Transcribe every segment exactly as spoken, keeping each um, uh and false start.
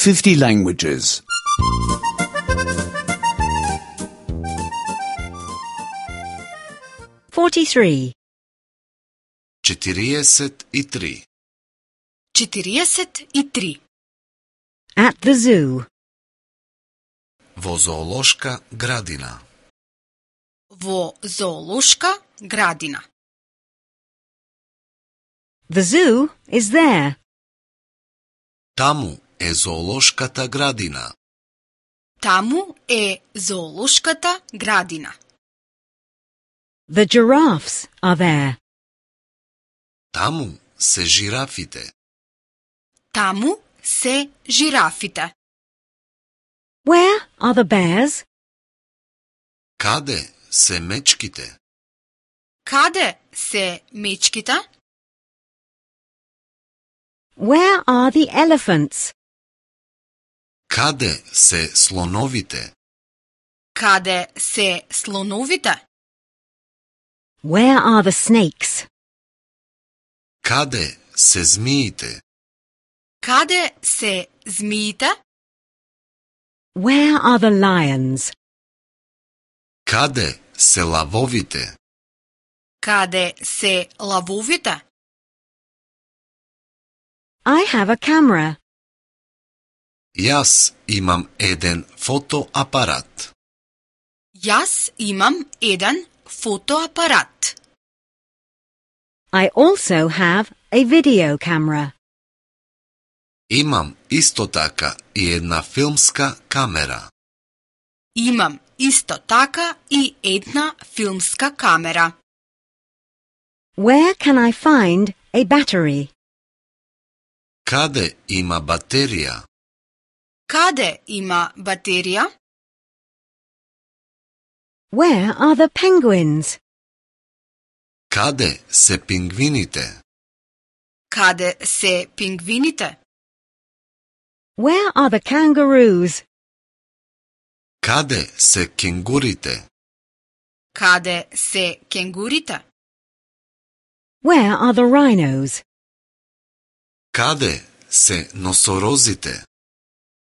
fifty languages. forty-three. четириесет и три. четириесет и три. At the zoo. Во зоолошка градина. Во зоолошка градина. The zoo is there. Таму е зоолошката градина. Таму е зоолошката градина. The giraffes are there. Таму се жирафите. Таму се жирафите. Where are the bears? Каде се мечките? Каде се мечките? Where are the elephants? Каде се слоновите? Каде се слоновите? Where are the snakes? Каде се змиите? Каде се змиите? Where are the lions? Каде се лавовите? Каде се лавовите? I have a camera. Јас имам еден фотоапарат. Јас имам еден фотоапарат. I also have a video camera. Имам исто така и една филмска камера. Имам исто така и една филмска камера. Where can I find a battery? Каде има батерија? Каде има батерија? Where are the penguins? Каде се пингвините? Каде се пингвините? Where are the kangaroos? Каде се кенгурите? Каде се кенгурите? Where are the rhinos? Каде се носорозите?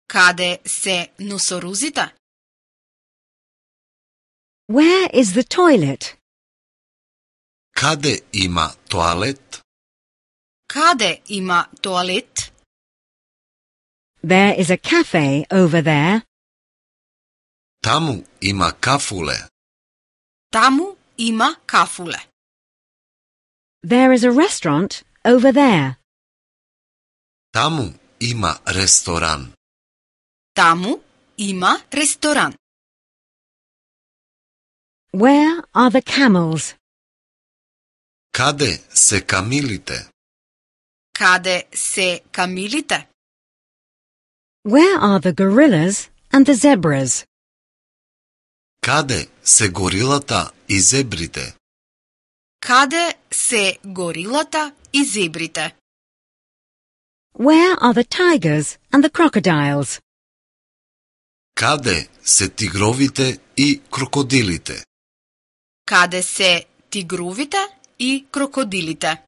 Каде се носорозите? Where is the toilet? Каде има тоалет? Каде има тоалет? There is a cafe over there. Таму има кафуле. Таму има кафуле. There is a restaurant over there. Таму има ресторан. Таму има ресторан. Where are the camels? Каде се камилите? Каде се камилите? Where are the gorillas and the zebras? Каде се горилата и зебрите? Каде се горилата и зебрите? Where are the tigers and the crocodiles? Каде се тигровите и крокодилите? Каде се тигровите и крокодилите?